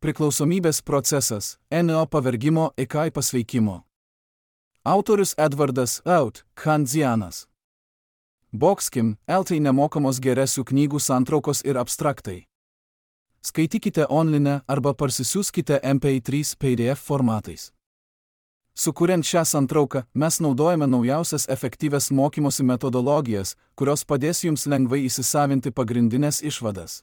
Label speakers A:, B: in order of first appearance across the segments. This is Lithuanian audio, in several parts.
A: Priklausomybės procesas – NO pavergimo iki pasveikimo. Autorius Edvardas Out, Khandzianas. Boxkim, LT nemokamos geresių knygų santraukos ir abstraktai. Skaitykite online arba parsisiųskite MP3 PDF formatais. Sukuriant šią santrauką, mes naudojame naujausias efektyvias mokymosi metodologijas, kurios padės jums lengvai įsisavinti pagrindinės išvadas.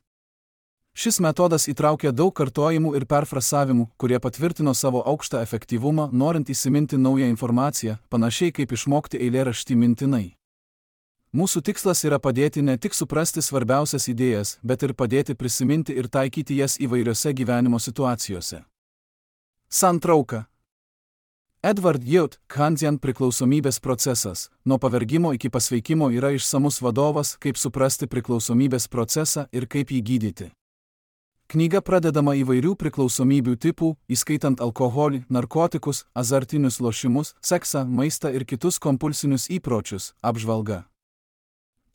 A: Šis metodas įtraukia daug kartojimų ir perfrasavimų, kurie patvirtino savo aukštą efektyvumą, norint įsiminti naują informaciją, panašiai kaip išmokti eilėraštį mintinai. Mūsų tikslas yra padėti ne tik suprasti svarbiausias idėjas, bet ir padėti prisiminti ir taikyti jas įvairiose gyvenimo situacijose. Santrauka. Edward Youth, Khandzian priklausomybės procesas, nuo pavergimo iki pasveikimo yra išsamus vadovas, kaip suprasti priklausomybės procesą ir kaip jį gydyti. Knyga pradedama įvairių priklausomybių tipų, įskaitant alkoholį, narkotikus, azartinius lošimus, seksą, maistą ir kitus kompulsinius įpročius, apžvalga.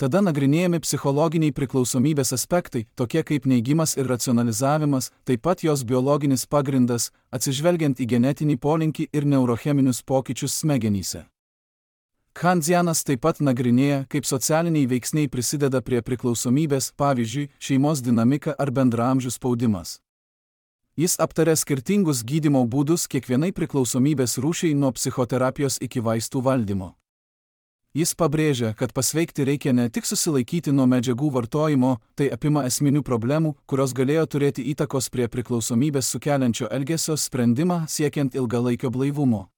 A: Tada nagrinėjami psichologiniai priklausomybės aspektai, tokie kaip neigimas ir racionalizavimas, taip pat jos biologinis pagrindas, atsižvelgiant į genetinį polinkį ir neurocheminius pokyčius smegenyse. Khandzianas taip pat nagrinėja, kaip socialiniai veiksniai prisideda prie priklausomybės, pavyzdžiui, šeimos dinamika ar bendraamžių spaudimas. Jis aptaria skirtingus gydymo būdus kiekvienai priklausomybės rūšiai nuo psichoterapijos iki vaistų valdymo. Jis pabrėžia, kad pasveikti reikia ne tik susilaikyti nuo medžiagų vartojimo, tai apima esminių problemų, kurios galėjo turėti įtakos prie priklausomybės sukeliančio elgesio sprendimą siekiant ilgalaikio blaivumo.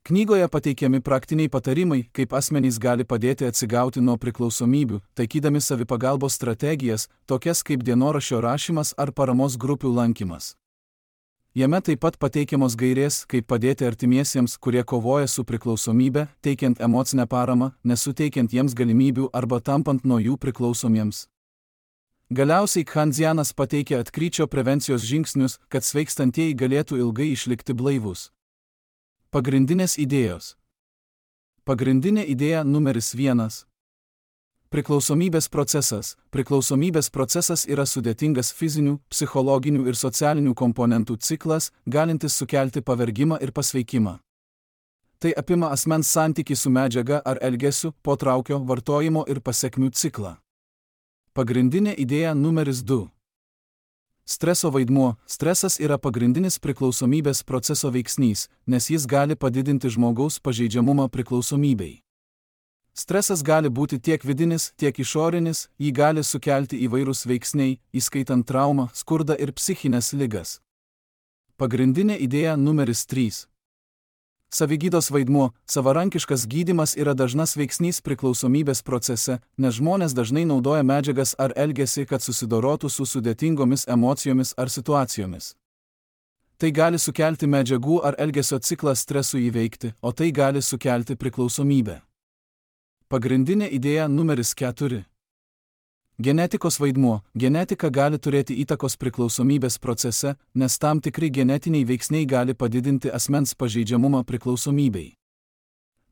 A: Knygoje pateikiami praktiniai patarimai, kaip asmenys gali padėti atsigauti nuo priklausomybių, taikydami savipagalbos strategijas, tokias kaip dienoraščio rašymas ar paramos grupių lankymas. Jame taip pat pateikiamos gairės, kaip padėti artimiesiems, kurie kovoja su priklausomybe, teikiant emocinę paramą, nesuteikiant jiems galimybių arba tampant nuo jų priklausomiems. Galiausiai Khandzianas pateikia atkryčio prevencijos žingsnius, kad sveikstantieji galėtų ilgai išlikti blaivus. Pagrindinės idėjos. Pagrindinė idėja numeris 1. Priklausomybės procesas. Priklausomybės procesas yra sudėtingas fizinių, psichologinių ir socialinių komponentų ciklas, galintis sukelti pavergimą ir pasveikimą. Tai apima asmens santykį su medžiaga ar elgesiu, potraukio, vartojimo ir pasekmių ciklą. Pagrindinė idėja numeris 2. Streso vaidmuo. Stresas yra pagrindinis priklausomybės proceso veiksnys, nes jis gali padidinti žmogaus pažeidžiamumą priklausomybei. Stresas gali būti tiek vidinis, tiek išorinis, jį gali sukelti įvairūs veiksniai, įskaitant traumą, skurdą ir psichinės ligas. Pagrindinė idėja numeris 3. Savigydos vaidmuo. Savarankiškas gydymas yra dažnas veiksnys priklausomybės procese, nes žmonės dažnai naudoja medžiagas ar elgesį, kad susidorotų su sudėtingomis emocijomis ar situacijomis. Tai gali sukelti medžiagų ar elgesio ciklą stresui įveikti, o tai gali sukelti priklausomybę. Pagrindinė idėja numeris 4. Genetikos vaidmuo. Genetika gali turėti įtakos priklausomybės procese, nes tam tikri genetiniai veiksniai gali padidinti asmens pažeidžiamumą priklausomybei.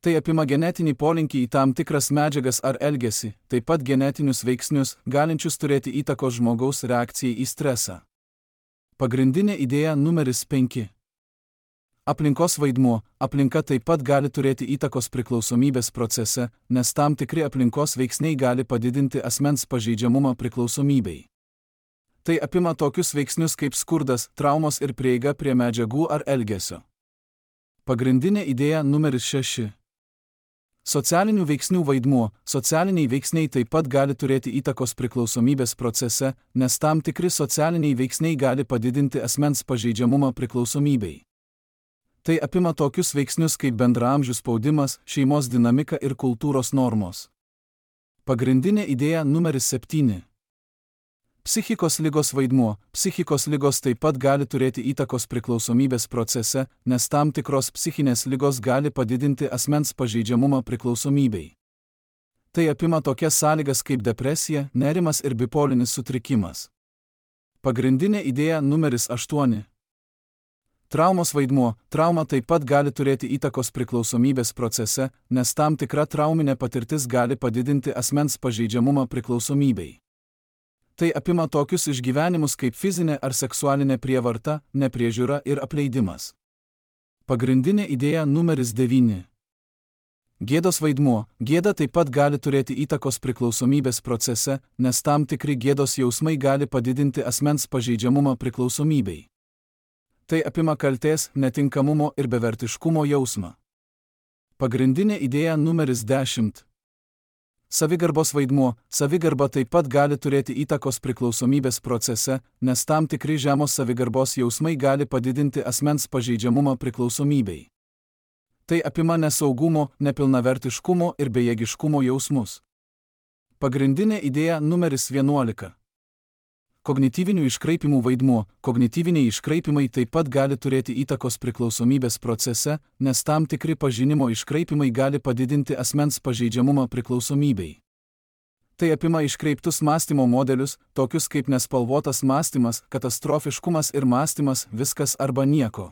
A: Tai apima genetinį polinkį į tam tikras medžiagas ar elgesį, taip pat genetinius veiksnius, galinčius turėti įtakos žmogaus reakcijai į stresą. Pagrindinė idėja numeris 5. Aplinkos vaidmuo. Aplinka taip pat gali turėti įtakos priklausomybės procese, nes tam tikri aplinkos veiksniai gali padidinti asmens pažeidžiamumą priklausomybei. Tai apima tokius veiksnius kaip skurdas, traumos ir prieiga prie medžiagų ar elgesio. Pagrindinė idėja numeris 6. Socialinių veiksnių vaidmuo. Socialiniai veiksniai taip pat gali turėti įtakos priklausomybės procese, nes tam tikri socialiniai veiksniai gali padidinti asmens pažeidžiamumą priklausomybei. Tai apima tokius veiksnius kaip bendraamžių spaudimas, šeimos dinamika ir kultūros normos. Pagrindinė idėja numeris 7. Psichikos ligos vaidmuo. Psichikos ligos taip pat gali turėti įtakos priklausomybės procese, nes tam tikros psichinės ligos gali padidinti asmens pažeidžiamumą priklausomybei. Tai apima tokias sąlygas kaip depresija, nerimas ir bipolinis sutrikimas. Pagrindinė idėja numeris 8. Traumos vaidmuo. Trauma taip pat gali turėti įtakos priklausomybės procese, nes tam tikra trauminė patirtis gali padidinti asmens pažeidžiamumą priklausomybei. Tai apima tokius išgyvenimus kaip fizinė ar seksualinė prievarta, nepriežiūra ir apleidimas. Pagrindinė idėja numeris 9. Gėdos vaidmuo. Gėda taip pat gali turėti įtakos priklausomybės procese, nes tam tikri gėdos jausmai gali padidinti asmens pažeidžiamumą priklausomybei. Tai apima kaltės, netinkamumo ir bevertiškumo jausmą. Pagrindinė idėja numeris 10. Savigarbos vaidmuo. Savigarba taip pat gali turėti įtakos priklausomybės procese, nes tam tikri žemos savigarbos jausmai gali padidinti asmens pažeidžiamumą priklausomybei. Tai apima nesaugumo, nepilnavertiškumo ir bejėgiškumo jausmus. Pagrindinė idėja numeris 11. Kognityvinių iškraipimų vaidmuo. Kognityviniai iškraipimai taip pat gali turėti įtakos priklausomybės procese, nes tam tikri pažinimo iškraipimai gali padidinti asmens pažeidžiamumą priklausomybei. Tai apima iškreiptus mąstymo modelius, tokius kaip nespalvotas mąstymas, katastrofiškumas ir mąstymas viskas arba nieko.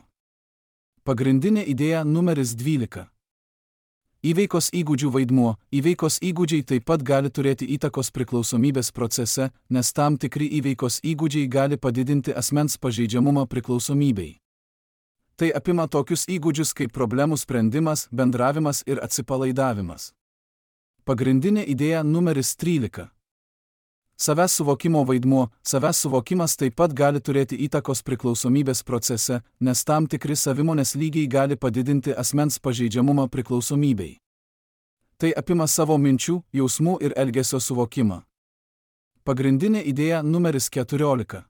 A: Pagrindinė idėja numeris 12. Įveikos įgūdžių vaidmuo. Įveikos įgūdžiai taip pat gali turėti įtakos priklausomybės procese, nes tam tikri įveikos įgūdžiai gali padidinti asmens pažeidžiamumą priklausomybei. Tai apima tokius įgūdžius kaip problemų sprendimas, bendravimas ir atsipalaidavimas. Pagrindinė idėja numeris 13. Savęs suvokimo vaidmuo. Savęs suvokimas taip pat gali turėti įtakos priklausomybės procese, nes tam tikri savimonės lygiai gali padidinti asmens pažeidžiamumą priklausomybei. Tai apima savo minčių, jausmų ir elgesio suvokimą. Pagrindinė idėja numeris 14.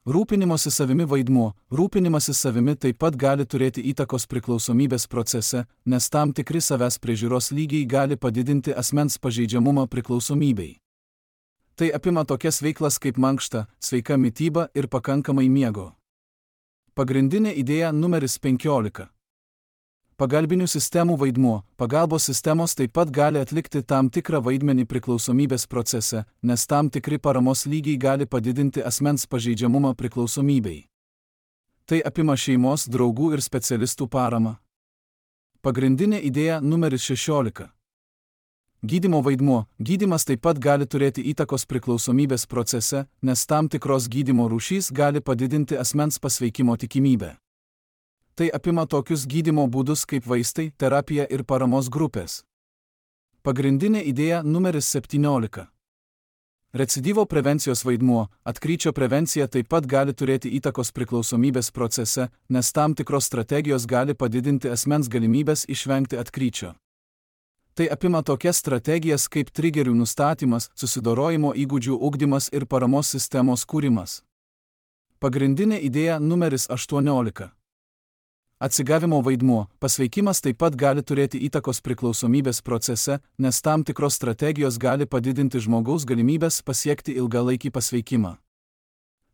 A: Rūpinimosi savimi vaidmuo. Rūpinimasis savimi taip pat gali turėti įtakos priklausomybės procese, nes tam tikri savęs priežiūros lygiai gali padidinti asmens pažeidžiamumą priklausomybei. Tai apima tokias veiklas kaip mankšta, sveika mityba ir pakankamai miego. Pagrindinė idėja numeris 15. Pagalbinių sistemų vaidmuo. Pagalbos sistemos taip pat gali atlikti tam tikrą vaidmenį priklausomybės procese, nes tam tikri paramos lygiai gali padidinti asmens pažeidžiamumą priklausomybei. Tai apima šeimos, draugų ir specialistų paramą. Pagrindinė idėja numeris 16. Gydymo vaidmuo. Gydymas taip pat gali turėti įtakos priklausomybės procese, nes tam tikros gydymo rūšys gali padidinti asmens pasveikimo tikimybę. Tai apima tokius gydymo būdus kaip vaistai, terapija ir paramos grupės. Pagrindinė idėja numeris 17. Recidyvo prevencijos vaidmuo. Atkryčio prevencija taip pat gali turėti įtakos priklausomybės procese, nes tam tikros strategijos gali padidinti asmens galimybės išvengti atkryčio. Tai apima tokias strategijas kaip trigerių nustatymas, susidorojimo įgūdžių ugdymas ir paramos sistemos kūrimas. Pagrindinė idėja numeris 18. Atsigavimo vaidmuo. Pasveikimas taip pat gali turėti įtakos priklausomybės procese, nes tam tikros strategijos gali padidinti žmogaus galimybės pasiekti ilgalaikį pasveikimą.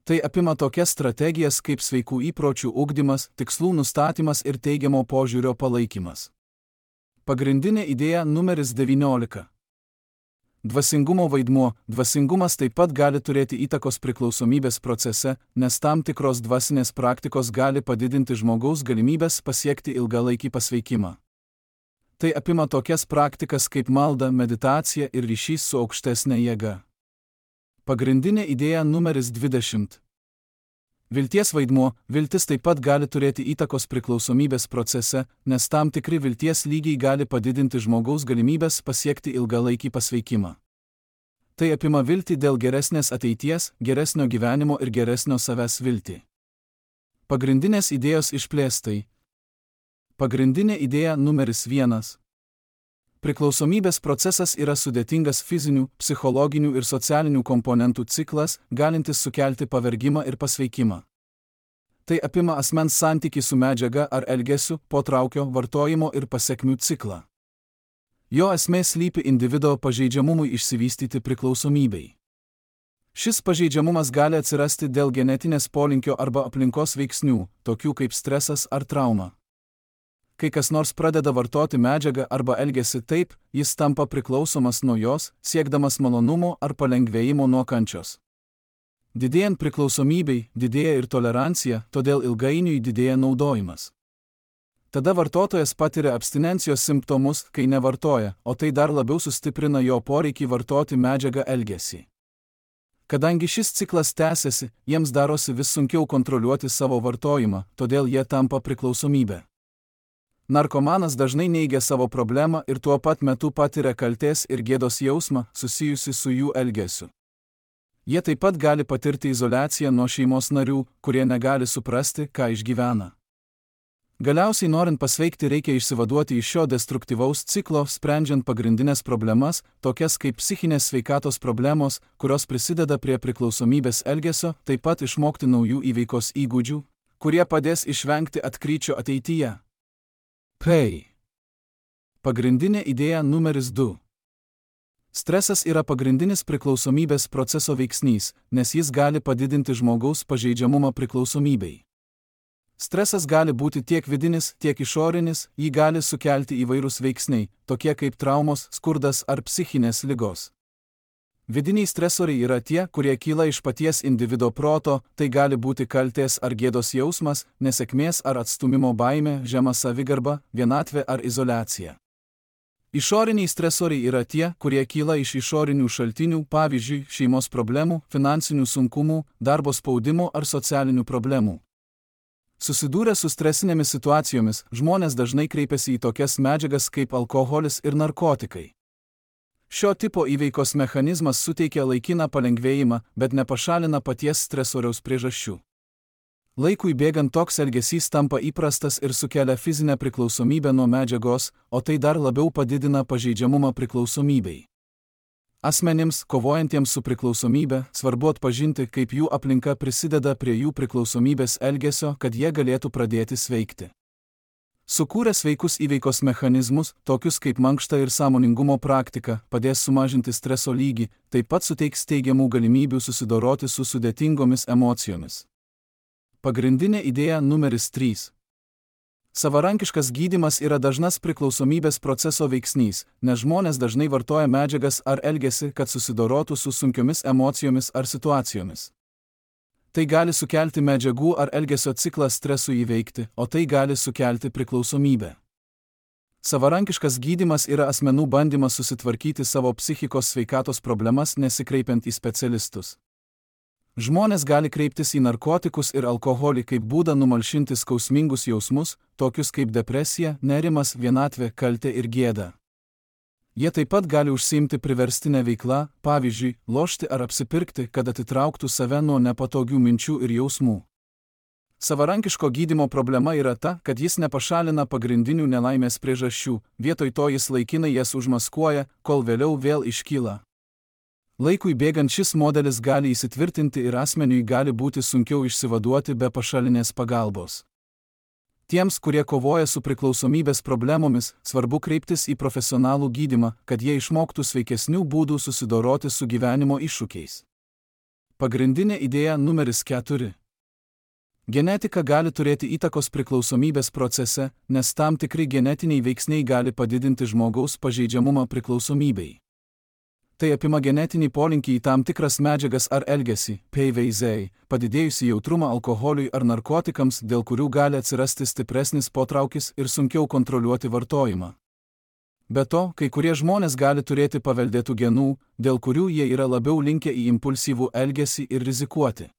A: Tai apima tokias strategijas kaip sveikų įpročių ugdymas, tikslų nustatymas ir teigiamo požiūrio palaikymas. Pagrindinė idėja numeris 19. Dvasingumo vaidmuo. Dvasingumas taip pat gali turėti įtakos priklausomybės procese, nes tam tikros dvasinės praktikos gali padidinti žmogaus galimybės pasiekti ilgalaikį pasveikimą. Tai apima tokias praktikas kaip malda, meditacija ir ryšys su aukštesne jėga. Pagrindinė idėja numeris 20. Vilties vaidmuo. Viltis taip pat gali turėti įtakos priklausomybės procese, nes tam tikri vilties lygiai gali padidinti žmogaus galimybės pasiekti ilgalaikį pasveikimą. Tai apima viltį dėl geresnės ateities, geresnio gyvenimo ir geresnio savęs viltį. Pagrindinės idėjos išplėstai. Pagrindinė idėja numeris 1. Priklausomybės procesas yra sudėtingas fizinių, psichologinių ir socialinių komponentų ciklas, galintis sukelti pavargimą ir pasveikimą. Tai apima asmens santykį su medžiaga ar elgesiu, potraukio, vartojimo ir pasekmių ciklą. Jo esmė slypi individo pažeidžiamumui išsivystyti priklausomybei. Šis pažeidžiamumas gali atsirasti dėl genetinės polinkio arba aplinkos veiksnių, tokių kaip stresas ar trauma. Kai kas nors pradeda vartoti medžiagą arba elgiasi taip, jis tampa priklausomas nuo jos, siekdamas malonumo ar palengvėjimo nuo kančios. Didėjant priklausomybei, didėja ir tolerancija, todėl ilgainiui didėja naudojimas. Tada vartotojas patiria abstinencijos simptomus, kai nevartoja, o tai dar labiau sustiprina jo poreikį vartoti medžiagą elgesį. Kadangi šis ciklas tęsiasi, jiems darosi vis sunkiau kontroliuoti savo vartojimą, todėl jie tampa priklausomybė. Narkomanas dažnai neigia savo problemą ir tuo pat metu patiria kaltės ir gėdos jausmą susijusi su jų elgesiu. Jie taip pat gali patirti izoliaciją nuo šeimos narių, kurie negali suprasti, ką išgyvena. Galiausiai norint pasveikti reikia išsivaduoti iš šio destruktyvaus ciklo, sprendžiant pagrindinės problemas, tokias kaip psichinės sveikatos problemos, kurios prisideda prie priklausomybės elgesio, taip pat išmokti naujų įveikos įgūdžių, kurie padės išvengti atkryčio ateityje. Pagrindinė idėja numeris 2. Stresas yra pagrindinis priklausomybės proceso veiksnys, nes jis gali padidinti žmogaus pažeidžiamumą priklausomybei. Stresas gali būti tiek vidinis, tiek išorinis, jį gali sukelti įvairūs veiksniai, tokie kaip traumos, skurdas ar psichinės ligos. Vidiniai stresoriai yra tie, kurie kyla iš paties individo proto, tai gali būti kaltės ar gėdos jausmas, nesėkmės ar atstūmimo baimė, žema savigarba, vienatvė ar izoliacija. Išoriniai stresoriai yra tie, kurie kyla iš išorinių šaltinių, pavyzdžiui, šeimos problemų, finansinių sunkumų, darbo spaudimo ar socialinių problemų. Susidūrę su stresinėmis situacijomis, žmonės dažnai kreipiasi į tokias medžiagas kaip alkoholis ir narkotikai. Šio tipo įveikos mechanizmas suteikia laikiną palengvėjimą, bet nepašalina paties stresoriaus priežasčių. Laikui bėgant toks elgesys tampa įprastas ir sukelia fizinę priklausomybę nuo medžiagos, o tai dar labiau padidina pažeidžiamumą priklausomybei. Asmenims, kovojantiems su priklausomybe, svarbu atpažinti, kaip jų aplinka prisideda prie jų priklausomybės elgesio, kad jie galėtų pradėti sveikti. Sukūrę sveikus įveikos mechanizmus, tokius kaip mankšta ir sąmoningumo praktika, padės sumažinti streso lygį, taip pat suteiks teigiamų galimybių susidoroti su sudėtingomis emocijomis. Pagrindinė idėja numeris 3. Savarankiškas gydymas yra dažnas priklausomybės proceso veiksnys, nes žmonės dažnai vartoja medžiagas ar elgiasi, kad susidorotų su sunkiomis emocijomis ar situacijomis. Tai gali sukelti medžiagų ar elgesio ciklą stresui įveikti, o tai gali sukelti priklausomybę. Savarankiškas gydymas yra asmenų bandymas susitvarkyti savo psichikos sveikatos problemas nesikreipiant į specialistus. Žmonės gali kreiptis į narkotikus ir alkoholį kaip būdą numalšinti skausmingus jausmus, tokius kaip depresija, nerimas, vienatvė, kaltė ir gėda. Jie taip pat gali užsiimti priverstinę veiklą, pavyzdžiui, lošti ar apsipirkti, kad atitrauktų save nuo nepatogių minčių ir jausmų. Savarankiško gydymo problema yra ta, kad jis nepašalina pagrindinių nelaimės priežasčių, vietoj to jis laikinai jas užmaskuoja, kol vėliau vėl iškyla. Laikui bėgant šis modelis gali įsitvirtinti ir asmeniui gali būti sunkiau išsivaduoti be pašalinės pagalbos. Tiems, kurie kovoja su priklausomybės problemomis, svarbu kreiptis į profesionalų gydymą, kad jie išmoktų sveikesnių būdų susidoroti su gyvenimo iššūkiais. Pagrindinė idėja numeris 4. Genetika gali turėti įtakos priklausomybės procese, nes tam tikri genetiniai veiksniai gali padidinti žmogaus pažeidžiamumą priklausomybei. Tai apima genetinį polinkį į tam tikras medžiagas ar elgesį, padidėjusį jautrumą alkoholiui ar narkotikams, dėl kurių gali atsirasti stipresnis potraukis ir sunkiau kontroliuoti vartojimą. Be to, kai kurie žmonės gali turėti paveldėtų genų, dėl kurių jie yra labiau linkę į impulsyvų elgesį ir rizikuoti.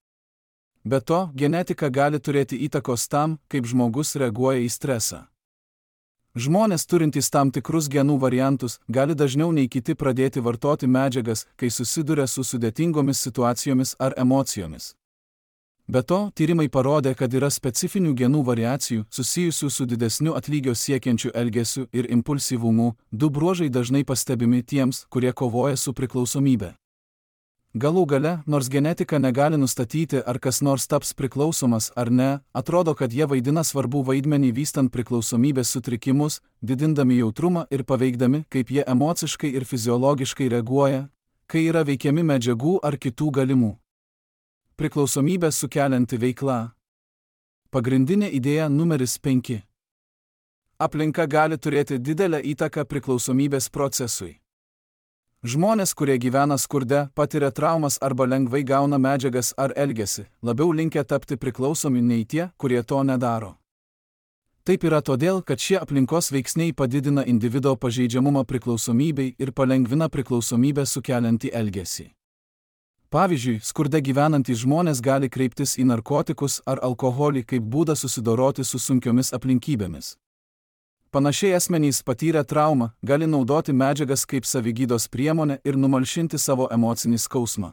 A: Be to, genetika gali turėti įtakos tam, kaip žmogus reaguoja į stresą. Žmonės turintys tam tikrus genų variantus gali dažniau nei kiti pradėti vartoti medžiagas, kai susiduria su sudėtingomis situacijomis ar emocijomis. Be to, tyrimai parodė, kad yra specifinių genų variacijų susijusių su didesniu atlygio siekiančiu elgesiu ir impulsyvumu, du bruožai dažnai pastebimi tiems, kurie kovoja su priklausomybe. Galų gale, nors genetika negali nustatyti, ar kas nors taps priklausomas ar ne, atrodo, kad jie vaidina svarbų vaidmenį vystant priklausomybės sutrikimus, didindami jautrumą ir paveikdami, kaip jie emociškai ir fiziologiškai reaguoja, kai yra veikiami medžiagų ar kitų galimų priklausomybę sukelianti veikla. Pagrindinė idėja numeris 5. Aplinka gali turėti didelę įtaką priklausomybės procesui. Žmonės, kurie gyvena skurde, patiria traumas arba lengvai gauna medžiagas ar elgiasi, labiau linkę tapti priklausomi nei tie, kurie to nedaro. Taip yra todėl, kad šie aplinkos veiksniai padidina individo pažeidžiamumą priklausomybei ir palengvina priklausomybę sukeliantį elgesį. Pavyzdžiui, skurde gyvenantys žmonės gali kreiptis į narkotikus ar alkoholį kaip būdą susidoroti su sunkiomis aplinkybėmis. Panašiai asmenys patyrę traumą gali naudoti medžiagas kaip savigydos priemonę ir numalšinti savo emocinį skausmą.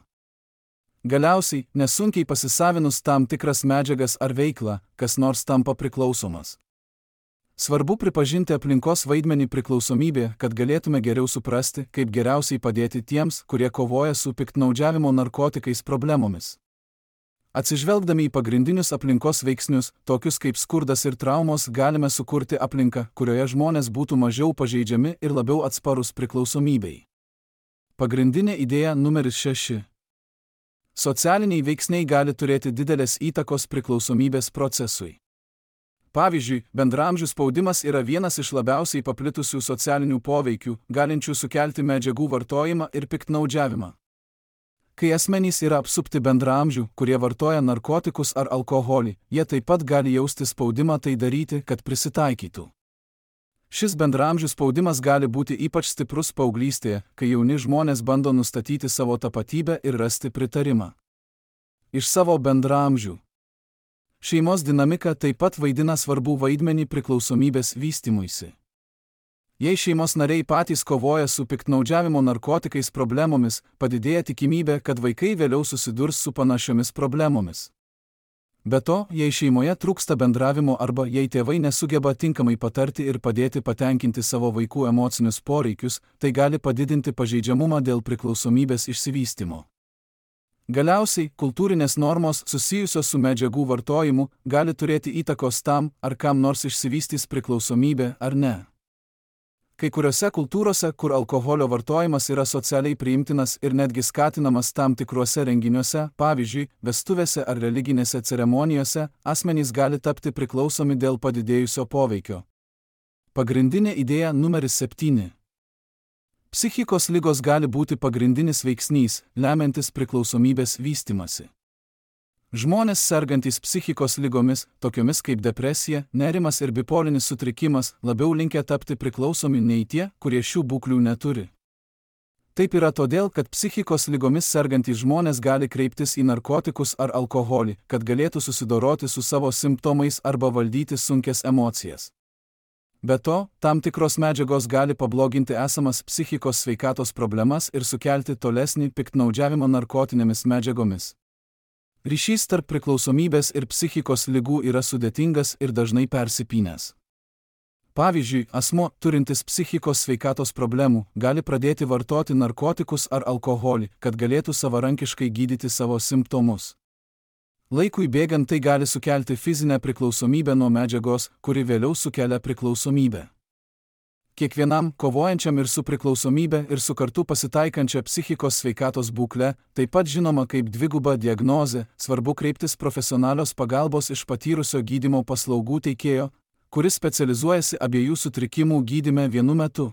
A: Galiausiai, nesunkiai pasisavinus tam tikras medžiagas ar veiklą, kas nors tampa priklausomas. Svarbu pripažinti aplinkos vaidmenį priklausomybėje, kad galėtume geriau suprasti, kaip geriausiai padėti tiems, kurie kovoja su piktnaudžiavimo narkotikais problemomis. Atsižvelgdami į pagrindinius aplinkos veiksnius, tokius kaip skurdas ir traumos, galime sukurti aplinką, kurioje žmonės būtų mažiau pažeidžiami ir labiau atsparūs priklausomybei. Pagrindinė idėja numeris 6. Socialiniai veiksniai gali turėti didelės įtakos priklausomybės procesui. Pavyzdžiui, bendraamžių spaudimas yra vienas iš labiausiai paplitusių socialinių poveikių, galinčių sukelti medžiagų vartojimą ir piktnaudžiavimą. Kai asmenys yra apsupti bendraamžių, kurie vartoja narkotikus ar alkoholį, jie taip pat gali jausti spaudimą tai daryti, kad prisitaikytų. Šis bendraamžių spaudimas gali būti ypač stiprus paauglystėje, kai jauni žmonės bando nustatyti savo tapatybę ir rasti pritarimą iš savo bendraamžių. Šeimos dinamika taip pat vaidina svarbų vaidmenį priklausomybės vystymuisi. Jei šeimos nariai patys kovoja su piktnaudžiavimo narkotikais problemomis, padidėja tikimybė, kad vaikai vėliau susidurs su panašiomis problemomis. Be to, jei šeimoje trūksta bendravimo arba jei tėvai nesugeba tinkamai patarti ir padėti patenkinti savo vaikų emocinius poreikius, tai gali padidinti pažeidžiamumą dėl priklausomybės išsivystymo. Galiausiai, kultūrinės normos susijusios su medžiagų vartojimu gali turėti įtakos tam, ar kam nors išsivystys priklausomybė ar ne. Kai kuriuose kultūrose, kur alkoholio vartojimas yra socialiai priimtinas ir netgi skatinamas tam tikruose renginiuose, pavyzdžiui, vestuvėse ar religinėse ceremonijose, asmenys gali tapti priklausomi dėl padidėjusio poveikio. Pagrindinė idėja numeris 7. Psichikos ligos gali būti pagrindinis veiksnys, lemiantis priklausomybės vystymasi. Žmonės sergantys psichikos ligomis, tokiomis kaip depresija, nerimas ir bipolinis sutrikimas, labiau linkę tapti priklausomi nei tie, kurie šių būklių neturi. Taip yra todėl, kad psichikos ligomis sergantys žmonės gali kreiptis į narkotikus ar alkoholį, kad galėtų susidoroti su savo simptomais arba valdyti sunkias emocijas. Be to, tam tikros medžiagos gali pabloginti esamas psichikos sveikatos problemas ir sukelti tolesnį piktnaudžiavimą narkotinėmis medžiagomis. Ryšys tarp priklausomybės ir psichikos ligų yra sudėtingas ir dažnai persipynęs. Pavyzdžiui, asmuo, turintis psichikos sveikatos problemų, gali pradėti vartoti narkotikus ar alkoholį, kad galėtų savarankiškai gydyti savo simptomus. Laikui bėgant tai gali sukelti fizinę priklausomybę nuo medžiagos, kuri vėliau sukelia priklausomybę. Kiekvienam, kovojančiam ir su priklausomybė ir su kartu pasitaikančia psichikos sveikatos būkle, taip pat žinoma kaip dviguba diagnozė, svarbu kreiptis profesionalios pagalbos iš patyrusio gydymo paslaugų teikėjo, kuris specializuojasi abiejų sutrikimų gydyme vienu metu.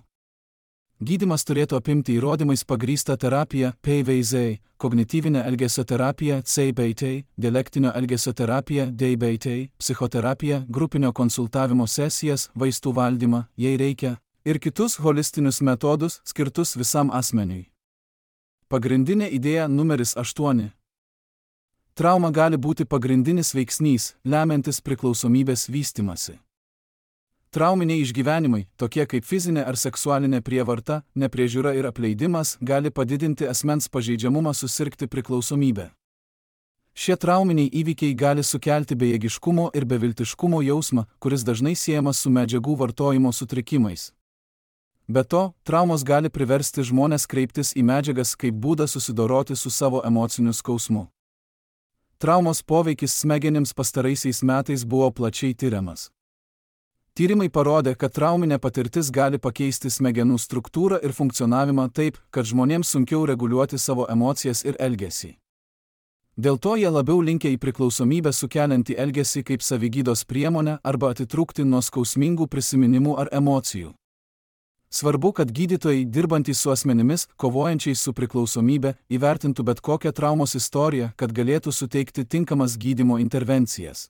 A: Gydymas turėtų apimti įrodymais pagrįstą terapiją PVZ, kognityvinę elgesio terapiją CBT, dialektinio elgesio terapiją DBT, psichoterapiją, grupinio konsultavimo sesijas, vaistų valdymą, jei reikia, ir kitus holistinius metodus skirtus visam asmeniui. Pagrindinė idėja numeris 8. Trauma gali būti pagrindinis veiksnys, lemiantis priklausomybės vystymasi. Trauminiai išgyvenimai, tokie kaip fizinė ar seksualinė prievarta, nepriežiūra ir apleidimas, gali padidinti asmens pažeidžiamumą susirgti priklausomybę. Šie trauminiai įvykiai gali sukelti bejėgiškumo ir beviltiškumo jausmą, kuris dažnai siejamas su medžiagų vartojimo sutrikimais. Be to, traumos gali priversti žmones kreiptis į medžiagas kaip būdą susidoroti su savo emociniu skausmu. Traumos poveikis smegenims pastaraisiais metais buvo plačiai tiriamas. Tyrimai parodė, kad trauminė patirtis gali pakeisti smegenų struktūrą ir funkcionavimą taip, kad žmonėms sunkiau reguliuoti savo emocijas ir elgesį. Dėl to jie labiau linkę į priklausomybę sukeliantį elgesį kaip savigydos priemonę arba atitrūkti nuo skausmingų prisiminimų ar emocijų. Svarbu, kad gydytojai, dirbantys su asmenimis, kovojančiais su priklausomybė, įvertintų bet kokią traumos istoriją, kad galėtų suteikti tinkamas gydymo intervencijas.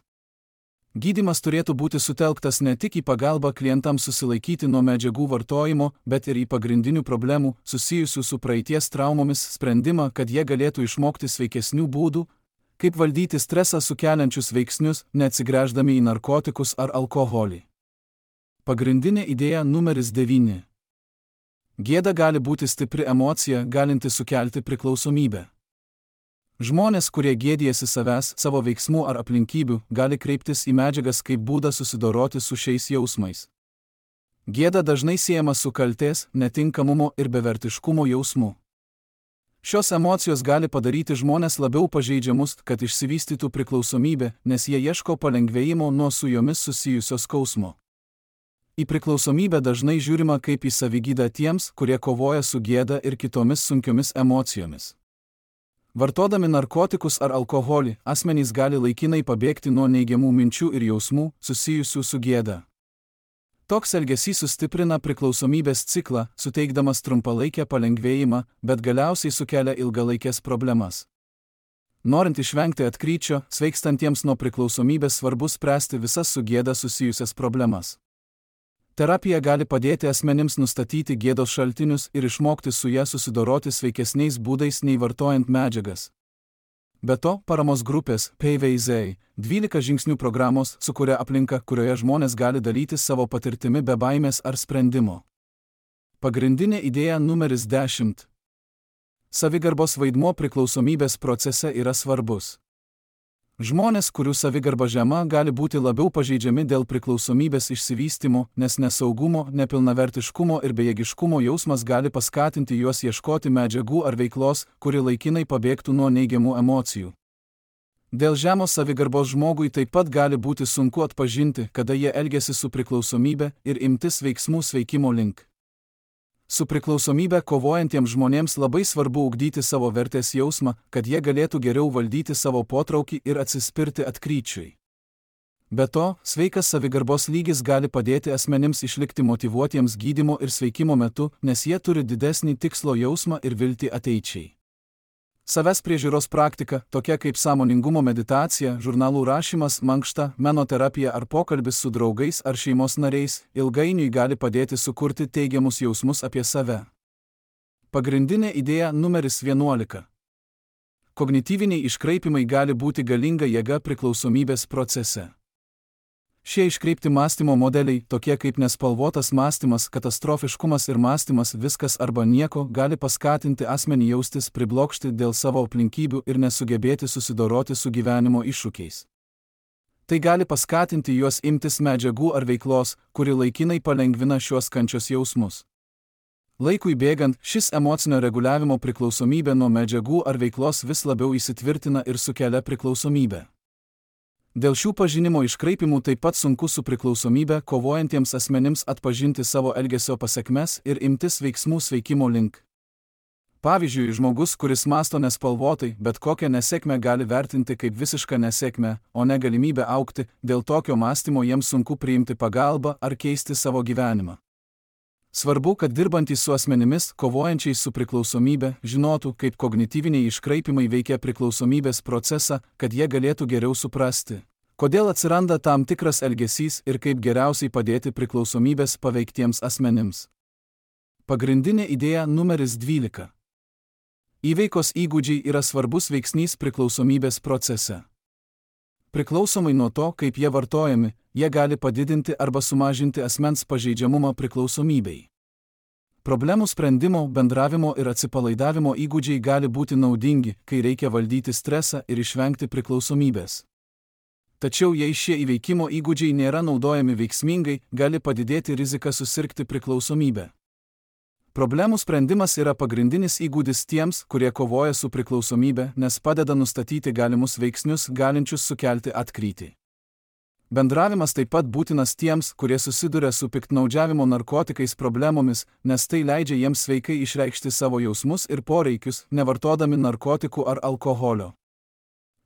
A: Gydymas turėtų būti sutelktas ne tik į pagalbą klientams susilaikyti nuo medžiagų vartojimo, bet ir į pagrindinių problemų, susijusių su praeities traumomis, sprendimą, kad jie galėtų išmokti sveikesnių būdų, kaip valdyti stresą sukeliančius veiksnius, neatsigręždami į narkotikus ar alkoholį. Pagrindinė idėja numeris 9. Gėda gali būti stipri emocija, galinti sukelti priklausomybę. Žmonės, kurie gėdijasi savęs, savo veiksmų ar aplinkybių, gali kreiptis į medžiagas kaip būdą susidoroti su šiais jausmais. Gėda dažnai siejama su kaltės, netinkamumo ir bevertiškumo jausmu. Šios emocijos gali padaryti žmonės labiau pažeidžiamus, kad išsivystytų priklausomybė, nes jie ieško palengvėjimo nuo su jomis susijusio skausmo. Į priklausomybę dažnai žiūrima kaip į savigydą tiems, kurie kovoja su gėda ir kitomis sunkiomis emocijomis. Vartodami narkotikus ar alkoholį, asmenys gali laikinai pabėgti nuo neigiamų minčių ir jausmų, susijusių su gėda. Toks elgesys sustiprina priklausomybės ciklą, suteikdamas trumpalaikę palengvėjimą, bet galiausiai sukelia ilgalaikės problemas. Norint išvengti atkryčio, sveikstantiems nuo priklausomybės svarbu spręsti visas su gėda susijusias problemas. Terapija gali padėti asmenims nustatyti gėdos šaltinius ir išmokti su ją susidoroti sveikesniais būdais nei vartojant medžiagas. Be to, paramos grupės PVZ 12 žingsnių programos sukuria aplinką, kurioje žmonės gali dalytis savo patirtimi be baimės ar sprendimo. Pagrindinė idėja numeris 10. Savigarbos vaidmuo priklausomybės procese yra svarbus. Žmonės, kurių savigarba žema, gali būti labiau pažeidžiami dėl priklausomybės išsivystymo, nes nesaugumo, nepilnavertiškumo ir bejėgiškumo jausmas gali paskatinti juos ieškoti medžiagų ar veiklos, kuri laikinai pabėgtų nuo neigiamų emocijų. Dėl žemos savigarbos žmogui taip pat gali būti sunku atpažinti, kada jie elgiasi su priklausomybe ir imtis veiksmų sveikimo link. Su priklausomybe kovojantiems žmonėms labai svarbu ugdyti savo vertės jausmą, kad jie galėtų geriau valdyti savo potraukį ir atsispirti atkryčiui. Be to, sveikas savigarbos lygis gali padėti asmenims išlikti motyvuotiems gydymo ir sveikimo metu, nes jie turi didesnį tikslo jausmą ir viltį ateičiai. Savęs priežiūros praktika, tokia kaip sąmoningumo meditacija, žurnalų rašymas, mankšta, menoterapija ar pokalbis su draugais ar šeimos nariais, ilgainiui gali padėti sukurti teigiamus jausmus apie save. Pagrindinė idėja numeris 11. Kognityviniai iškraipimai gali būti galinga jėga priklausomybės procese. Šie iškreipti mąstymo modeliai, tokie kaip nespalvotas mąstymas, katastrofiškumas ir mąstymas viskas arba nieko, gali paskatinti asmenį jaustis priblokšti dėl savo aplinkybių ir nesugebėti susidoroti su gyvenimo iššūkiais. Tai gali paskatinti juos imtis medžiagų ar veiklos, kuri laikinai palengvina šiuos kančios jausmus. Laikui bėgant, šis emocinio reguliavimo priklausomybė nuo medžiagų ar veiklos vis labiau įsitvirtina ir sukelia priklausomybę. Dėl šių pažinimo iškraipimų taip pat sunku su priklausomybe kovojantiems asmenims atpažinti savo elgesio pasekmes ir imtis veiksmų sveikimo link. Pavyzdžiui, žmogus, kuris mąsto nespalvotai, bet kokią nesėkmę gali vertinti kaip visišką nesėkmę, o ne galimybę augti, dėl tokio mąstymo jiems sunku priimti pagalbą ar keisti savo gyvenimą. Svarbu, kad dirbantys su asmenimis, kovojančiais su priklausomybe, žinotų, kaip kognityviniai iškraipimai veikia priklausomybės procesą, kad jie galėtų geriau suprasti, kodėl atsiranda tam tikras elgesys ir kaip geriausiai padėti priklausomybės paveiktiems asmenims. Pagrindinė idėja numeris 12. Įveikos įgūdžiai yra svarbus veiksnys priklausomybės procese. Priklausomai nuo to, kaip jie vartojami, jie gali padidinti arba sumažinti asmens pažeidžiamumą priklausomybei. Problemų sprendimo, bendravimo ir atsipalaidavimo įgūdžiai gali būti naudingi, kai reikia valdyti stresą ir išvengti priklausomybės. Tačiau jei šie įveikimo įgūdžiai nėra naudojami veiksmingai, gali padidėti rizika susirgti priklausomybę. Problemų sprendimas yra pagrindinis įgūdis tiems, kurie kovoja su priklausomybe, nes padeda nustatyti galimus veiksnius, galinčius sukelti atkrytį. Bendravimas taip pat būtinas tiems, kurie susiduria su piktnaudžiavimo narkotikais problemomis, nes tai leidžia jiems sveikai išreikšti savo jausmus ir poreikius, nevartodami narkotikų ar alkoholio.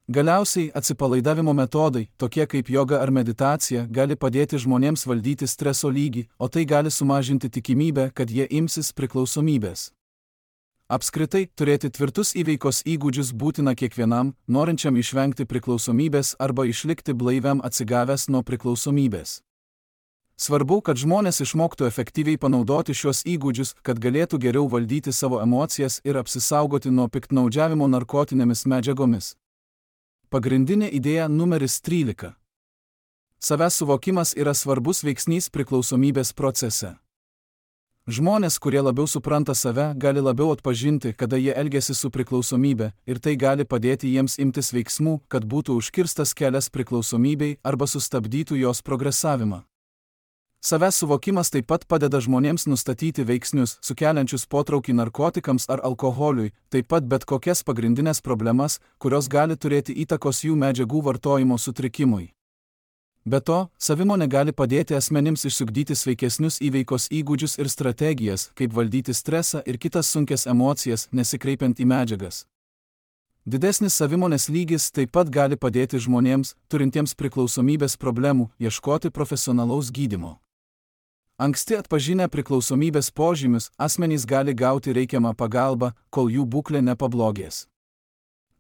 A: Galiausiai, atsipalaidavimo metodai, tokie kaip joga ar meditacija, gali padėti žmonėms valdyti streso lygį, o tai gali sumažinti tikimybę, kad jie imsis priklausomybės. Apskritai, turėti tvirtus įveikos įgūdžius būtina kiekvienam, norinčiam išvengti priklausomybės arba išlikti blaiviam atsigavęs nuo priklausomybės. Svarbu, kad žmonės išmoktų efektyviai panaudoti šios įgūdžius, kad galėtų geriau valdyti savo emocijas ir apsisaugoti nuo piktnaudžiavimo narkotinėmis medžiagomis. Pagrindinė idėja numeris 13. Savęs suvokimas yra svarbus veiksnys priklausomybės procese. Žmonės, kurie labiau supranta save, gali labiau atpažinti, kada jie elgiasi su priklausomybė, ir tai gali padėti jiems imtis veiksmų, kad būtų užkirstas kelias priklausomybei arba sustabdytų jos progresavimą. Savęs suvokimas taip pat padeda žmonėms nustatyti veiksnius, sukeliančius potraukį narkotikams ar alkoholiui, taip pat bet kokias pagrindinės problemas, kurios gali turėti įtakos jų medžiagų vartojimo sutrikimui. Be to, savimonė gali padėti asmenims išsiugdyti sveikesnius įveikos įgūdžius ir strategijas, kaip valdyti stresą ir kitas sunkias emocijas, nesikreipiant į medžiagas. Didesnis savimonės lygis taip pat gali padėti žmonėms, turintiems priklausomybės problemų, ieškoti profesionalaus gydymo. Anksti atpažinę priklausomybės požymius, asmenys gali gauti reikiamą pagalbą, kol jų būklė nepablogės.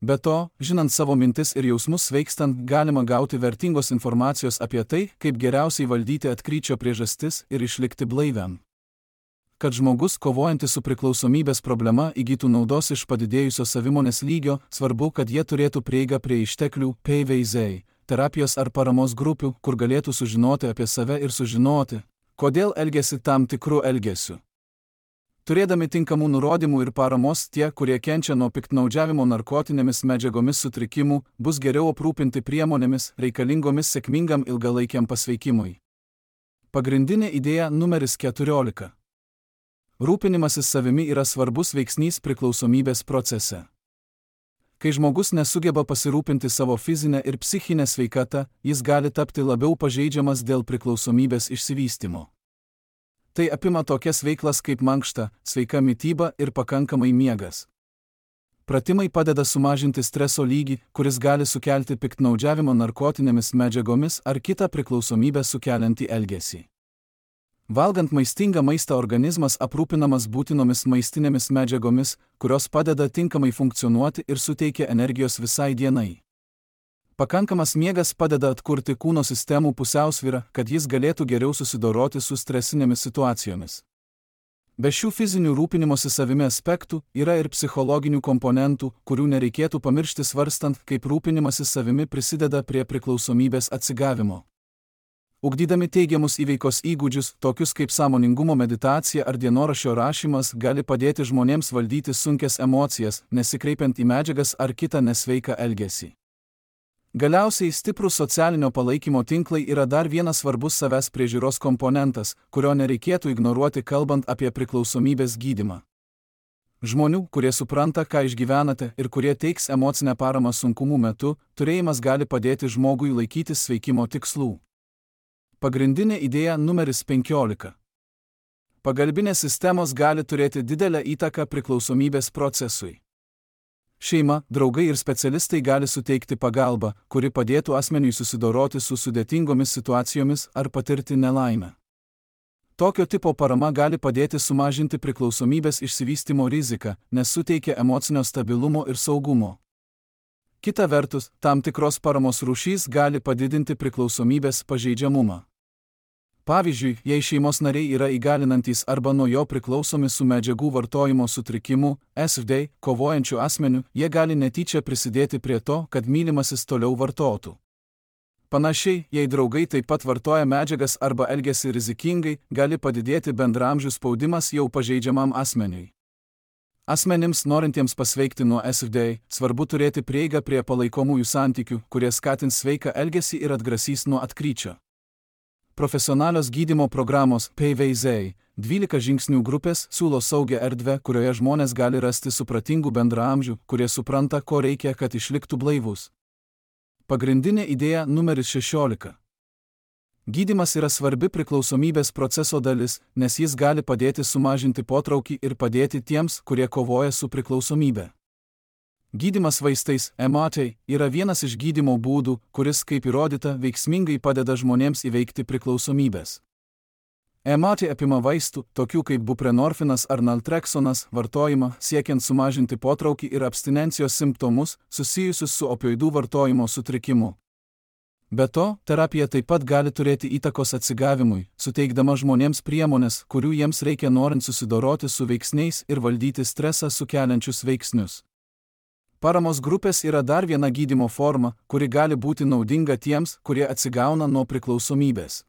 A: Be to, žinant savo mintis ir jausmus sveikstant, galima gauti vertingos informacijos apie tai, kaip geriausiai valdyti atkryčio priežastis ir išlikti blaiviam. Kad žmogus, kovojantis su priklausomybės problema, įgytų naudos iš padidėjusio savimonės lygio, svarbu, kad jie turėtų prieigą prie išteklių, PVZ, terapijos ar paramos grupių, kur galėtų sužinoti apie save ir sužinoti, kodėl elgiasi tam tikru elgesiu. Turėdami tinkamų nurodymų ir paramos, tie, kurie kenčia nuo piktnaudžiavimo narkotinėmis medžiagomis sutrikimų, bus geriau aprūpinti priemonėmis, reikalingomis sėkmingam ilgalaikiam pasveikimui. Pagrindinė idėja numeris 14. Rūpinimasis savimi yra svarbus veiksnys priklausomybės procese. Kai žmogus nesugeba pasirūpinti savo fizinę ir psichinę sveikatą, jis gali tapti labiau pažeidžiamas dėl priklausomybės išsivystymo. Tai apima tokias veiklas kaip mankšta, sveika mityba ir pakankamai miegas. Pratimai padeda sumažinti streso lygį, kuris gali sukelti piktnaudžiavimo narkotinėmis medžiagomis ar kitą priklausomybę sukeliantį elgesį. Valgant maistingą maistą organizmas aprūpinamas būtinomis maistinėmis medžiagomis, kurios padeda tinkamai funkcionuoti ir suteikia energijos visai dienai. Pakankamas miegas padeda atkurti kūno sistemų pusiausvyrą, kad jis galėtų geriau susidoroti su stresinėmis situacijomis. Be šių fizinių rūpinimosi savimi aspektų yra ir psichologinių komponentų, kurių nereikėtų pamiršti svarstant, kaip rūpinimasis savimi prisideda prie priklausomybės atsigavimo. Ugdydami teigiamus įveikos įgūdžius, tokius kaip sąmoningumo meditacija ar dienoraščio rašymas, gali padėti žmonėms valdyti sunkias emocijas, nesikreipiant į medžiagas ar kitą nesveiką elgesį. Galiausiai stiprūs socialinio palaikymo tinklai yra dar vienas svarbus savęs priežiūros komponentas, kurio nereikėtų ignoruoti kalbant apie priklausomybės gydymą. Žmonių, kurie supranta, ką išgyvenate ir kurie teiks emocinę paramą sunkumų metu, turėjimas gali padėti žmogui laikytis sveikimo tikslų. Pagrindinė idėja numeris 15. Pagalbinės sistemos gali turėti didelę įtaką priklausomybės procesui. Šeima, draugai ir specialistai gali suteikti pagalbą, kuri padėtų asmeniui susidoroti su sudėtingomis situacijomis ar patirti nelaimę. Tokio tipo parama gali padėti sumažinti priklausomybės išsivystymo riziką, nes suteikia emocinio stabilumo ir saugumo. Kita vertus, tam tikros paramos rūšys gali padidinti priklausomybės pažeidžiamumą. Pavyzdžiui, jei šeimos nariai yra įgalinantys arba nuo jo priklausomi su medžiagų vartojimo sutrikimu, SFD, kovojančių asmenių, jie gali netyčia prisidėti prie to, kad mylimasis toliau vartotų. Panašiai, jei draugai taip pat vartoja medžiagas arba elgiasi rizikingai, gali padidėti bendraamžių spaudimas jau pažeidžiamam asmeniui. Asmenims norintiems pasveikti nuo SFD, svarbu turėti prieigą prie palaikomųjų santykių, kurie skatins sveiką elgesį ir atgrasys nuo atkryčio. Profesionalios gydymo programos PVZ 12 žingsnių grupės siūlo saugią erdvę, kurioje žmonės gali rasti supratingų bendraamžių, kurie supranta, ko reikia, kad išliktų blaivus. Pagrindinė idėja numeris 16. Gydymas yra svarbi priklausomybės proceso dalis, nes jis gali padėti sumažinti potraukį ir padėti tiems, kurie kovoja su priklausomybe. Gydymas vaistais, MAT, yra vienas iš gydymo būdų, kuris, kaip įrodyta, veiksmingai padeda žmonėms įveikti priklausomybės. EMAT apima vaistų, tokių kaip buprenorfinas ar naltreksonas, vartojimą, siekiant sumažinti potraukį ir abstinencijos simptomus, susijusius su opioidų vartojimo sutrikimu. Be to, terapija taip pat gali turėti įtakos atsigavimui, suteikdama žmonėms priemonės, kurių jiems reikia norint susidoroti su veiksniais ir valdyti stresą sukeliančius veiksnius. Paramos grupės yra dar viena gydymo forma, kuri gali būti naudinga tiems, kurie atsigauna nuo priklausomybės.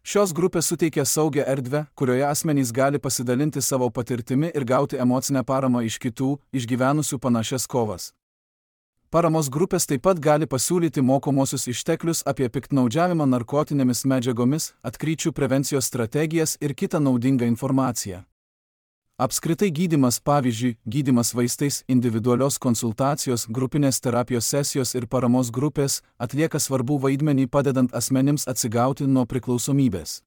A: Šios grupės suteikia saugią erdvę, kurioje asmenys gali pasidalinti savo patirtimi ir gauti emocinę paramą iš kitų, išgyvenusių panašias kovas. Paramos grupės taip pat gali pasiūlyti mokomosius išteklius apie piktnaudžiavimą narkotinėmis medžiagomis, atkryčių prevencijos strategijas ir kitą naudingą informaciją. Apskritai gydymas, pavyzdžiui, gydymas vaistais, individualios konsultacijos, grupinės terapijos sesijos ir paramos grupės atlieka svarbų vaidmenį padedant asmenims atsigauti nuo priklausomybės.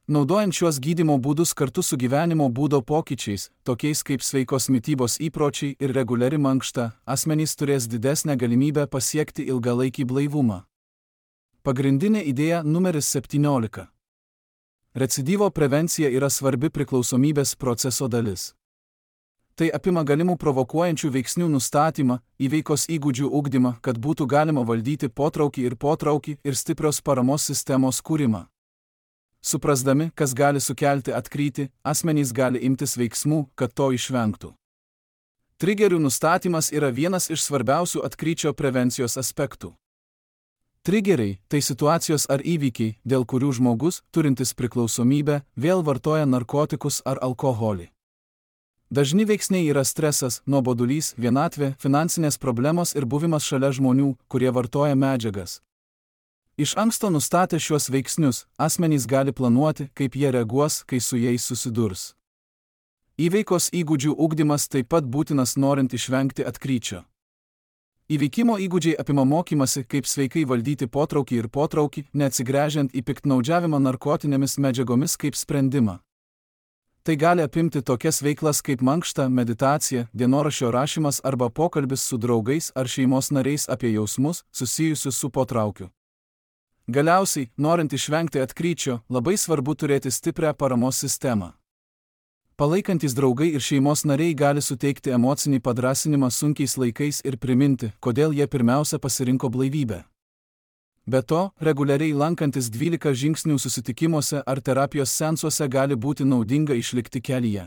A: Naudojant šiuos gydymo būdus kartu su gyvenimo būdo pokyčiais, tokiais kaip sveikos mitybos įpročiai ir reguliari mankšta, asmenys turės didesnę galimybę pasiekti ilgalaikį blaivumą. Pagrindinė idėja numeris 17. Recidyvo prevencija yra svarbi priklausomybės proceso dalis. Tai apima galimų provokuojančių veiksnių nustatymą, įveikos įgūdžių ugdymą, kad būtų galima valdyti potraukį ir stiprios paramos sistemos kūrimą. Suprasdami, kas gali sukelti atkrytį, asmenys gali imtis veiksmų, kad to išvengtų. Trigerių nustatymas yra vienas iš svarbiausių atkryčio prevencijos aspektų. Trigeriai – tai situacijos ar įvykiai, dėl kurių žmogus, turintis priklausomybę, vėl vartoja narkotikus ar alkoholį. Dažni veiksniai yra stresas, nuobodulys, vienatvė, finansinės problemos ir buvimas šalia žmonių, kurie vartoja medžiagas. Iš anksto nustatę šiuos veiksnius, asmenys gali planuoti, kaip jie reaguos, kai su jais susidurs. Įveikos įgūdžių ugdymas taip pat būtinas norint išvengti atkryčio. Įveikimo įgūdžiai apima mokymasi, kaip sveikai valdyti potraukį, neatsigręžiant į piktnaudžiavimą narkotinėmis medžiagomis kaip sprendimą. Tai gali apimti tokias veiklas kaip mankšta, meditacija, dienoraščio rašymas arba pokalbis su draugais ar šeimos nariais apie jausmus, susijusius su potraukiu. Galiausiai, norint išvengti atkryčio, labai svarbu turėti stiprią paramos sistemą. Palaikantis draugai ir šeimos nariai gali suteikti emocinį padrąsinimą sunkiais laikais ir priminti, kodėl jie pirmiausia pasirinko blaivybę. Be to, reguliariai lankantis 12 žingsnių susitikimuose ar terapijos seansuose gali būti naudinga išlikti kelyje.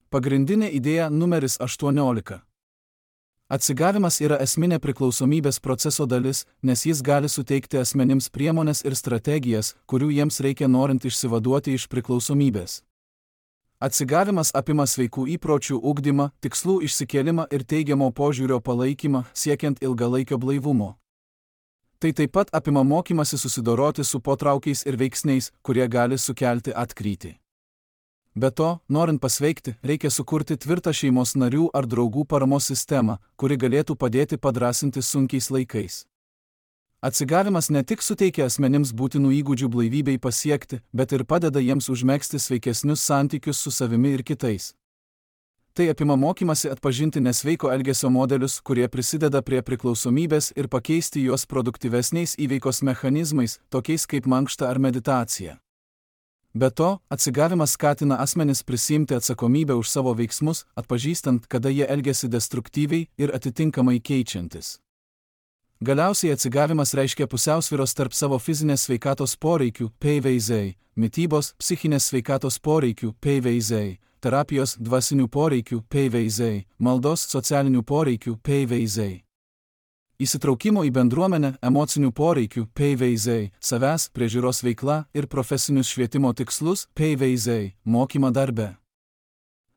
A: Pagrindinė idėja numeris 18. Atsigavimas yra esminė priklausomybės proceso dalis, nes jis gali suteikti asmenims priemones ir strategijas, kurių jiems reikia norint išsivaduoti iš priklausomybės. Atsigavimas apima sveikų įpročių ugdymą, tikslų išsikėlimą ir teigiamo požiūrio palaikymą, siekiant ilgalaikio blaivumo. Tai taip pat apima mokymasi susidoroti su potraukiais ir veiksniais, kurie gali sukelti atkrytį. Be to, norint pasveikti, reikia sukurti tvirtą šeimos narių ar draugų paramos sistemą, kuri galėtų padėti padrąsinti sunkiais laikais. Atsigavimas ne tik suteikia asmenims būtinų įgūdžių blaivybei pasiekti, bet ir padeda jiems užmegzti sveikesnius santykius su savimi ir kitais. Tai apima mokymasi atpažinti nesveiko elgesio modelius, kurie prisideda prie priklausomybės ir pakeisti juos produktyvesniais įveikos mechanizmais, tokiais kaip mankšta ar meditacija. Be to, atsigavimas skatina asmenis prisiimti atsakomybę už savo veiksmus, atpažįstant, kada jie elgiasi destruktyviai ir atitinkamai keičiantis. Galiausiai atsigavimas reiškia pusiausvyros tarp savo fizinės sveikatos poreikių, PVZ, mitybos, psichinės sveikatos poreikių, PVZ, terapijos, dvasinių poreikių, PVZ, maldos, socialinių poreikių, PVZ. Įsitraukimo į bendruomenę, emocinių poreikių, PVZ, savęs, priežiūros veikla ir profesinius švietimo tikslus, PVZ, mokymą darbe.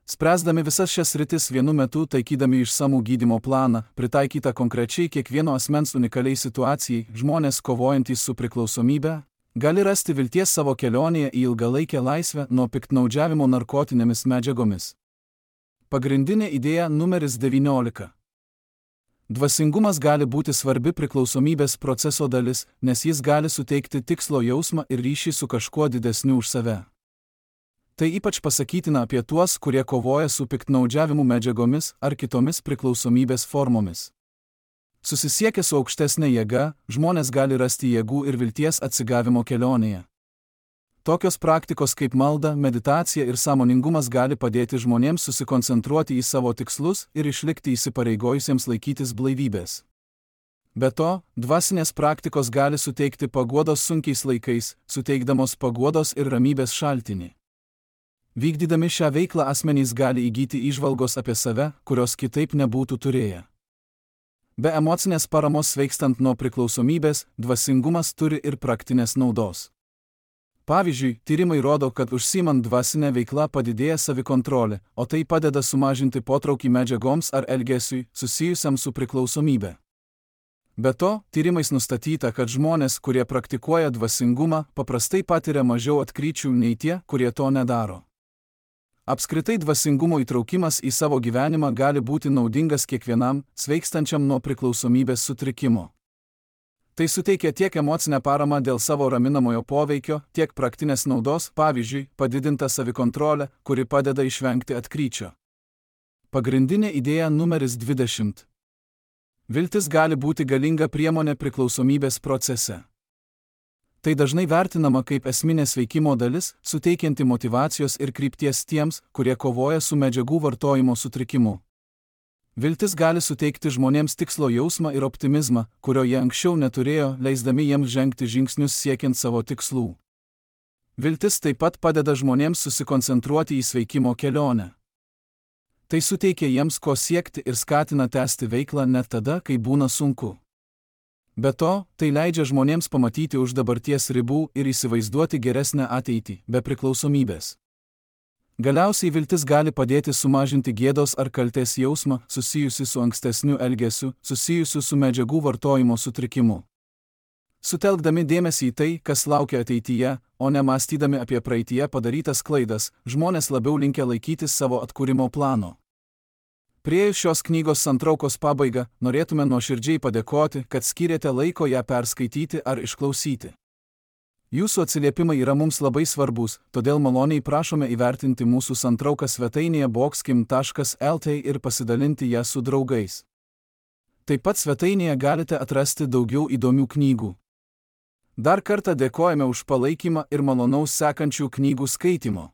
A: Spręsdami visas šias sritis vienu metu taikydami išsamų gydymo planą, pritaikytą konkrečiai kiekvieno asmens unikaliai situacijai, žmonės kovojantys su priklausomybe, gali rasti vilties savo kelionėje į ilgalaikę laisvę nuo piktnaudžiavimo narkotinėmis medžiagomis. Pagrindinė idėja numeris 19. Dvasingumas gali būti svarbi priklausomybės proceso dalis, nes jis gali suteikti tikslo jausmą ir ryšį su kažkuo didesniu už save. Tai ypač pasakytina apie tuos, kurie kovoja su piktnaudžiavimu medžiagomis ar kitomis priklausomybės formomis. Susisiekę su aukštesnė jėga, žmonės gali rasti jėgų ir vilties atsigavimo kelionėje. Tokios praktikos kaip malda, meditacija ir sąmoningumas gali padėti žmonėms susikoncentruoti į savo tikslus ir išlikti įsipareigojusiems laikytis blaivybės. Be to, dvasinės praktikos gali suteikti paguodos sunkiais laikais, suteikdamos paguodos ir ramybės šaltinį. Vykdydami šią veiklą asmenys gali įgyti įžvalgos apie save, kurios kitaip nebūtų turėję. Be emocinės paramos sveikstant nuo priklausomybės, dvasingumas turi ir praktinės naudos. Pavyzdžiui, tyrimai rodo, kad užsiimant dvasinę veiklą padidėja savikontrolė, o tai padeda sumažinti potraukį medžiagoms ar elgesiui susijusiam su priklausomybe. Be to, tyrimais nustatyta, kad žmonės, kurie praktikuoja dvasingumą, paprastai patiria mažiau atkryčių nei tie, kurie to nedaro. Apskritai dvasingumo įtraukimas į savo gyvenimą gali būti naudingas kiekvienam, sveikstančiam nuo priklausomybės sutrikimo. Tai suteikia tiek emocinę paramą dėl savo raminamojo poveikio, tiek praktinės naudos, pavyzdžiui, padidinta savikontrolė, kuri padeda išvengti atkryčio. Pagrindinė idėja numeris 20. Viltis gali būti galinga priemonė priklausomybės procese. Tai dažnai vertinama kaip esminės veikimo dalis, suteikianti motyvacijos ir krypties tiems, kurie kovoja su medžiagų vartojimo sutrikimu. Viltis gali suteikti žmonėms tikslo jausmą ir optimizmą, kurio jie anksčiau neturėjo, leisdami jiems žengti žingsnius siekiant savo tikslų. Viltis taip pat padeda žmonėms susikoncentruoti į sveikimo kelionę. Tai suteikia jiems ko siekti ir skatina tęsti veiklą net tada, kai būna sunku. Be to, tai leidžia žmonėms pamatyti už dabarties ribų ir įsivaizduoti geresnę ateitį, be priklausomybės. Galiausiai viltis gali padėti sumažinti gėdos ar kaltės jausmą, susijusi su ankstesniu elgesiu, susijusiu su medžiagų vartojimo sutrikimu. Sutelkdami dėmesį į tai, kas laukia ateityje, o ne mąstydami apie praeityje padarytas klaidas, žmonės labiau linkę laikytis savo atkūrimo plano. Priėjus šios knygos santraukos pabaigą, norėtume nuoširdžiai padėkoti, kad skyrėte laiko ją perskaityti ar išklausyti. Jūsų atsiliepimai yra mums labai svarbus, todėl maloniai prašome įvertinti mūsų santrauką svetainėje boxkim.lt ir pasidalinti ją su draugais. Taip pat svetainėje galite atrasti daugiau įdomių knygų. Dar kartą dėkojame už palaikymą ir malonaus sekančių knygų skaitimo.